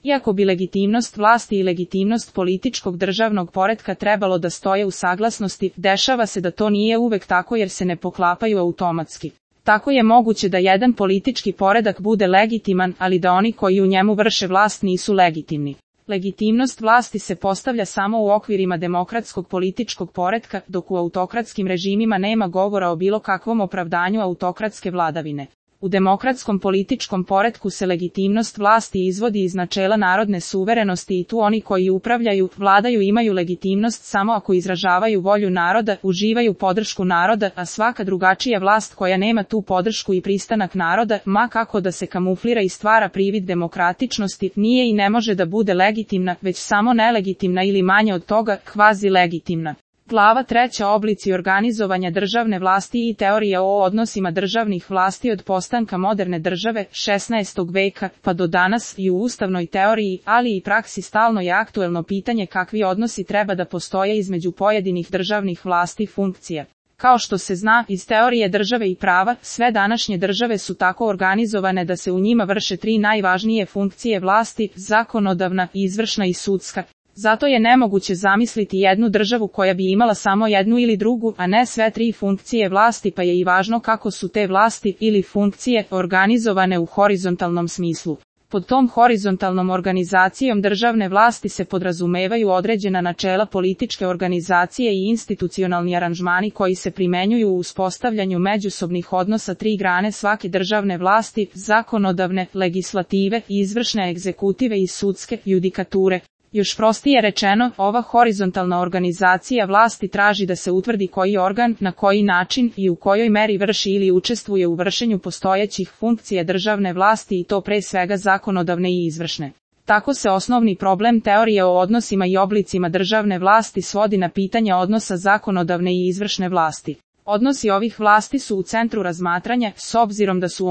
Iako bi legitimnost vlasti i legitimnost političkog državnog poretka trebalo da stoje u saglasnosti, dešava se da to nije uvek tako jer se ne poklapaju automatski. Tako je moguće da jedan politički poredak bude legitiman, ali da oni koji u njemu vrše vlast nisu legitimni. Legitimnost vlasti se postavlja samo u okvirima demokratskog političkog poretka, dok u autokratskim režimima nema govora o bilo kakvom opravdanju autokratske vladavine. U demokratskom političkom poretku se legitimnost vlasti izvodi iz načela narodne suverenosti i tu oni koji upravljaju, vladaju imaju legitimnost samo ako izražavaju volju naroda, uživaju podršku naroda, a svaka drugačija vlast koja nema tu podršku i pristanak naroda, ma kako da se kamuflira i stvara privid demokratičnosti, nije i ne može da bude legitimna, već samo nelegitimna ili manje od toga, kvazi legitimna. Glava 3. Oblici organizovanja državne vlasti i teorija o odnosima državnih vlasti od postanka moderne države 16. veka pa do danas i u ustavnoj teoriji, ali i praksi stalno je aktuelno pitanje kakvi odnosi treba da postoje između pojedinih državnih vlasti i funkcija. Kao što se zna iz teorije države i prava, sve današnje države su tako organizovane da se u njima vrše 3 najvažnije funkcije vlasti, zakonodavna, izvršna i sudska. Zato je nemoguće zamisliti jednu državu koja bi imala samo jednu ili drugu, a ne sve 3 funkcije vlasti, pa je i važno kako su te vlasti ili funkcije organizovane u horizontalnom smislu. Pod tom horizontalnom organizacijom državne vlasti se podrazumevaju određena načela političke organizacije i institucionalni aranžmani koji se primenjuju u uspostavljanju međusobnih odnosa 3 grane svake državne vlasti, zakonodavne, legislative, izvršne, egzekutive i sudske, judikature. Još prostije rečeno, ova horizontalna organizacija vlasti traži da se utvrdi koji organ, na koji način i u kojoj meri vrši ili učestvuje u vršenju postojećih funkcija državne vlasti i to pre svega zakonodavne i izvršne. Tako se osnovni problem teorije o odnosima i oblicima državne vlasti svodi na pitanje odnosa zakonodavne i izvršne vlasti. Odnosi ovih vlasti su u centru razmatranja, s obzirom da su